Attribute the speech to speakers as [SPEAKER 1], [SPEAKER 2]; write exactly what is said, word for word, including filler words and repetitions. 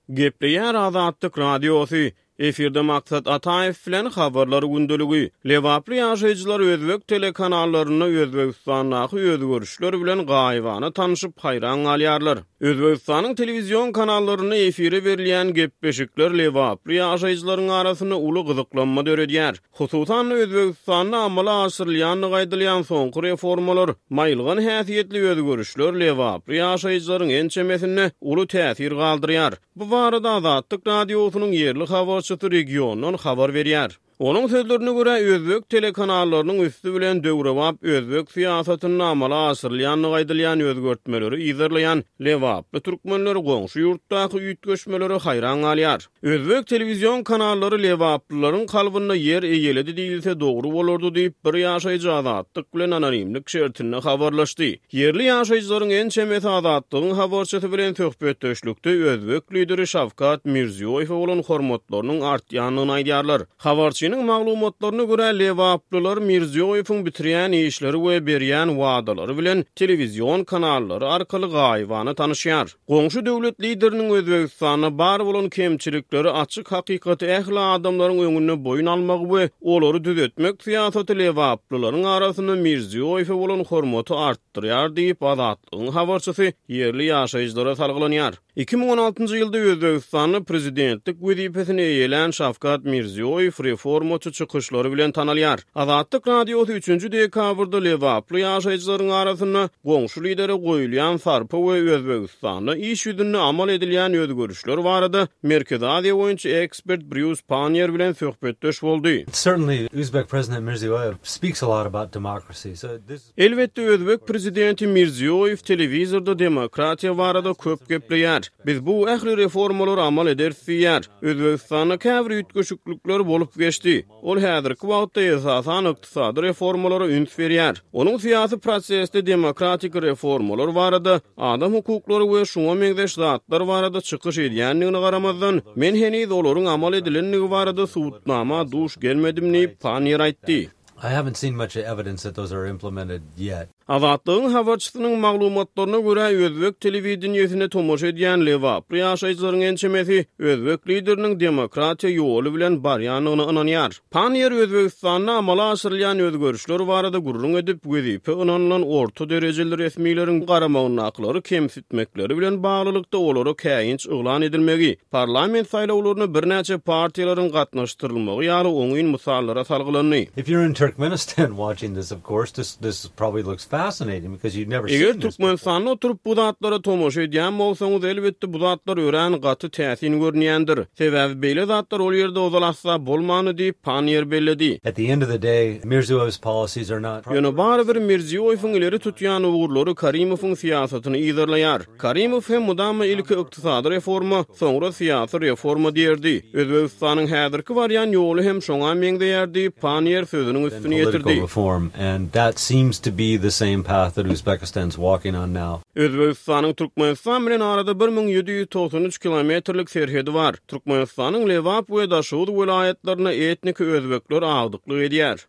[SPEAKER 1] Gepleýär Azatlyk Radiosy. Efirde Maksat Ataýew bilen habarlar gündeligi. Lebaply ýaşaýjylar özbek telekanallarynda Özbegistandaky özgerişler bilen gaýybana tanşyp haýran galýarlar. Özbegistanyň telewizion kanallarynda efire berilýän gepleşikler lebaply ýaşaýjylaryň arasynda uly gyzyklanma döredýär. Hususan Özbegistanda amala aşyrylýandygy aýdylýan soňky reformalar, maýylgan häsiýetli özgerişler lebaply ýaşaýjylaryň ençemesinde uly täsir galdyrýar. Bu barada Azatlyk Radiosynyň ýerli habarçysy regiondan habar berýär. Onuň sözlerine görä özbek telekanallarynyň üsti bilen döwrebap özbek syýasatynda amala aşyrylýandygy aýdylýan özgertmeleri yzarlaýan lebaply türkmenler goňşy ýurtdaky üýtgeşmelere haýran galýar. Özbek telewizion kanallary lebaplylaryň kalbynda ýer eýeledi diýilse dogry bolardy diýip bir ýaşaýjy Azatlyk bilen anonimlik şertinde habarlaşdy. Ýerli ýaşaýjylaryň ençemesi Azatlygyň habarçysy bilen söhbetdeşlikde özbek lideri Şawkat Mirziýoýewe bolan hormatlarynyň artýandygyny aýdýarlar. Habarçynyň maglumatlaryna görä lebaplylar Mirziýoýewiň bitirýän işleri we berýän wadalary bilen telewizion kanallary arkaly gaýybana tanyşýar. Goňşy döwlet lideriniň Özbegistanda bar bolan kemçilikleri açyk hakykaty ähli adamlaryň öňünde boýun almagy we olary düzetmek syýasaty lebaplylaryň arasynda Mirziýoýewe bolan hormaty artdyrýar diýip Azatlygyň habarçysy ýerli ýaşaýjylara salgylanýar. iki müň on altynjy ýylda Özbegistanda prezidentlik wezipesini eýelän Şawkat Mirziýoýew reformaçy çykyşlary bilen tanalýar. Azatlyk Radiosy üçünji dekabrda lebaply ýaşaýjylaryň arasynda goňşy lidere goýulýan sarpa we Özbegistanda iş ýüzünde amal edilýän özgerişler barada Merkezi Aziýa boýunça ekspert Brýus Pannier bilen söhbetdeş boldy.
[SPEAKER 2] Certainly Uzbek President Mirziyoyev speaks a lot about democracy. So this
[SPEAKER 1] Elbetde Özbek prezidenti Mirziyoyev telewizorda demokratiýa barada köp gepleýär. Biz bu ähli reformalary amal ederis diýýär. Özbegistanda käbir üýtgeşiklikler bolup geçdi. Ol häzirki wagtda esasan ykdysady reformalara üns berýär. Onuň syýasy prosesde demokratik reformalar barada, adam hukuklary we şuňa meňzeş zatlar barada çykyş edýändigine garamazdan, men heniz olaryň amal edilendigi barada subutnama duş gelmedim diýip Pannier aýtdy.
[SPEAKER 2] I haven't seen much evidence that those are implemented yet.
[SPEAKER 1] Azatlygyň habarçysynyň maglumatlaryna görä özbek telewideniýesine tomaşa edýän lebaply ýaşaýjylaryň ençemesi özbek lideriniň demokratiýa ýoly bilen barýandygyna ynanýar. Pannier Özbegistanda amala aşyrylýan özgerişler barada gürrüň edip, wezipe ynanylan orta derejeli resmileriň garamagyndakylary kemsitmekleri bilen baglylykda olara käýinç yglan edilmegi, parlament saýlawlaryna birnäçe partiýalaryň gatnaşdyrylmagy ýaly oňyn mysallara salgylandy.
[SPEAKER 2] If you're in Turkmenistan watching this, of course, this, this probably looks fascinating because you've never
[SPEAKER 1] Eger
[SPEAKER 2] seen this before.
[SPEAKER 1] Türkmenistanda oturyp bu zatlara tomaşa edýän bolsaňyz, elbetde bu zatlar örän gaty täsin görünýändir. Sebäbi beýle zatlar ol ýerde ozal asla bolmany diýip Pannier belledi.
[SPEAKER 2] At the end of the day, Mirziyoyev's policies are not
[SPEAKER 1] Ýöne barybir Mirziyoyewiň ileri tutýan ugurlary Karimowyň syýasatyny yzarlaýar. Karimow hem mudama ilki ykdysady reforma, soňra syýasy reforma diýerdi. Özbegistanyň häzirki barýan ýoly hem şoňa meňzeýär diýip Pannier sözüniň üstüni
[SPEAKER 2] political
[SPEAKER 1] ýetirdi.
[SPEAKER 2] reform, and that seems to be the same path that Uzbekistan's walking on now.
[SPEAKER 1] Özbegistanyň Türkmenistan bilen arada bir müň ýedi ýüz togsan üç kilometrlik serhedi bar. Türkmenistanyň Lebap we Daşoguz welaýatlarynda etnik özbekler agdyklyk edýär.